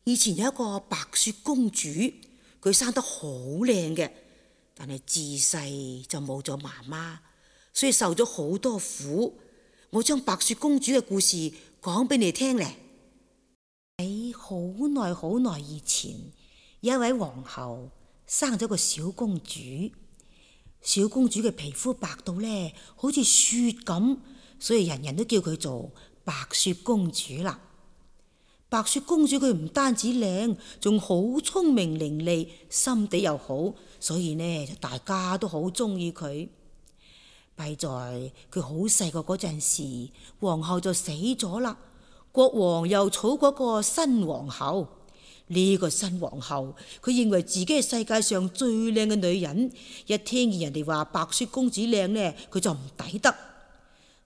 以前有一個白雪公主，佢生得好靚嘅，但係自細就冇咗媽媽，所以受咗好多苦。我將白雪公主嘅故事講俾你聽咧。喺好耐好耐以前，有一位皇后生咗個小公主。小公主嘅皮膚白到咧，好似雪咁，所以人人都叫佢做白雪公主啦。白雪公主佢唔單止靚，仲好聰明伶俐，心地又好，所以呢就大家都好中意佢。弊在佢好細個嗰陣時，皇后就死咗啦。國王又娶過個新皇后。呢個新皇后佢認為自己係世界上最靚嘅女人，一聽見人哋話白雪公主靚呢，佢就唔抵得。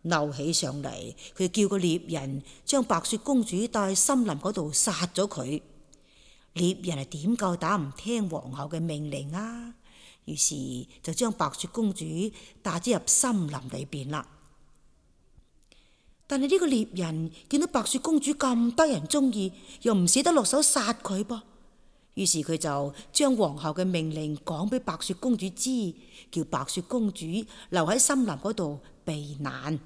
嬲起上嚟，佢叫個獵人將白雪公主帶去森林嗰度殺咗佢。獵人係點夠膽唔聽皇后嘅命令啊？於是就將白雪公主帶咗入森林裏邊啦。但係呢個獵人見到白雪公主咁得人中意，又唔捨得落手殺佢噃，於是佢就將皇后嘅命令講俾白雪公主知，叫白雪公主留喺森林嗰度避難。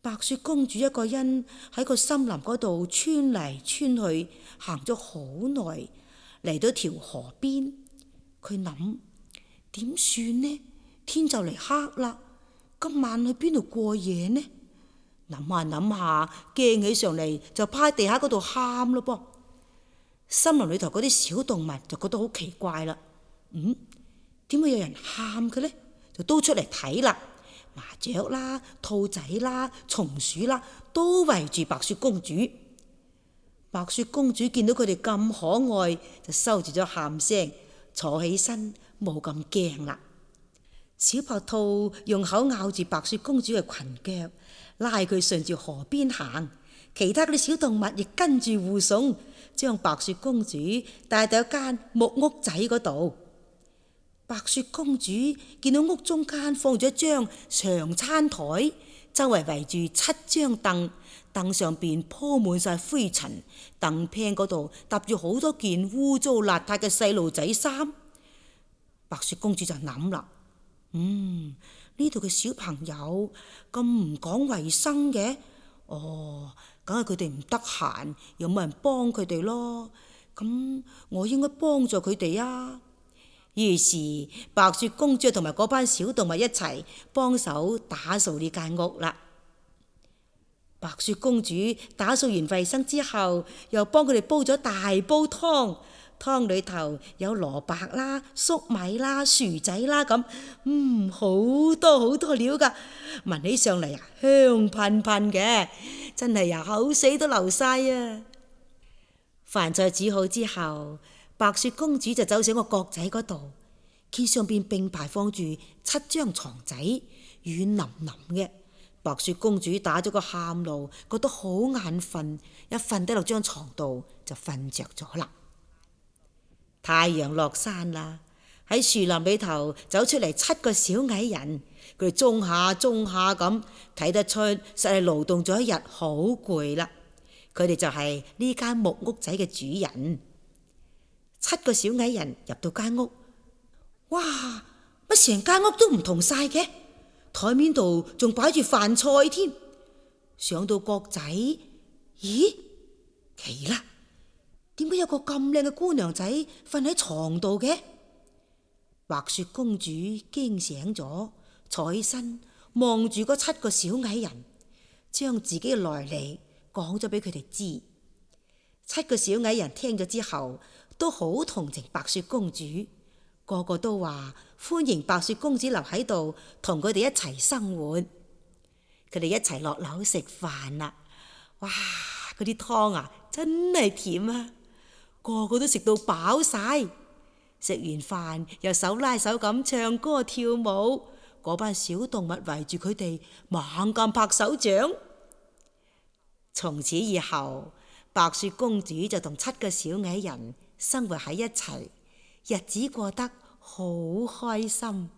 白雪公主一個人喺個森林嗰度穿嚟穿去，行咗好耐，嚟到條河邊。佢諗點算呢？天就嚟黑啦，今晚去邊度過夜呢？諗下諗下，驚起上嚟就趴喺地下嗰度喊咯噃。森林裏頭嗰啲小動物就覺得好奇怪啦。點會有人喊嘅呢？就都出嚟睇啦。麻雀啦、兔仔啦、松鼠啦，都圍住白雪公主。白雪公主見到佢哋咁可愛，就收住咗喊聲，坐起身冇咁驚啦。小白兔用口咬住白雪公主嘅裙腳，拉佢順住河邊行。其他嗰啲小動物亦跟住護送，將白雪公主帶到一間木屋仔嗰度。白雪公主見到屋中間放咗一張長餐台，周圍圍住7張凳，凳上邊鋪滿晒灰塵，凳柄嗰度搭住好多件污糟邋遢嘅細路仔衫。白雪公主就諗啦，呢度嘅小朋友咁唔講衛生嘅，梗係佢哋唔得閒，又冇人幫佢哋咯。咁我應該幫助佢哋啊。於是白雪公主同埋嗰班小動物一齊幫手打掃呢間屋啦。白雪公主打掃完衛生之後，又幫佢哋煲咗大煲湯，湯裏頭有蘿蔔啦、粟米啦、薯仔啦咁，好多好多料噶，聞起上嚟香噴噴嘅，真係口水都流晒啊！飯菜煮好之後，白雪公主就走上個閣仔嗰度，見上邊並排放住7張床仔，軟腍腍嘅。白雪公主打咗個喊路，覺得好眼瞓，一瞓低落張床度就瞓着咗啦。太陽落山啦，喺樹林裏頭走出嚟7個小矮人，佢哋中下咁，睇得出實係勞動咗一日，好攰啦。佢哋就係呢間木屋仔嘅主人。7個小矮人入到間屋，哇！乜成間屋都唔同晒嘅，台面度仲擺住飯菜添。上到閣仔，咦？奇啦！點解有個咁靚嘅姑娘仔瞓喺床度嘅？白雪公主驚醒咗，坐起身望住嗰7個小矮人，將自己嘅來歷講咗俾佢哋知。7個小矮人聽咗之後，都好同情白雪公主，個個都話歡迎白雪公主留喺度同佢哋一齊生活。佢哋一齊落樓食飯啦，哇！嗰啲湯啊真係甜啊，個個都食到飽晒。食完飯又手拉手咁唱歌跳舞，嗰班小動物圍住佢哋猛咁拍手掌。從此以後，白雪公主就同7個小矮人生活喺一齊，日子過得好開心。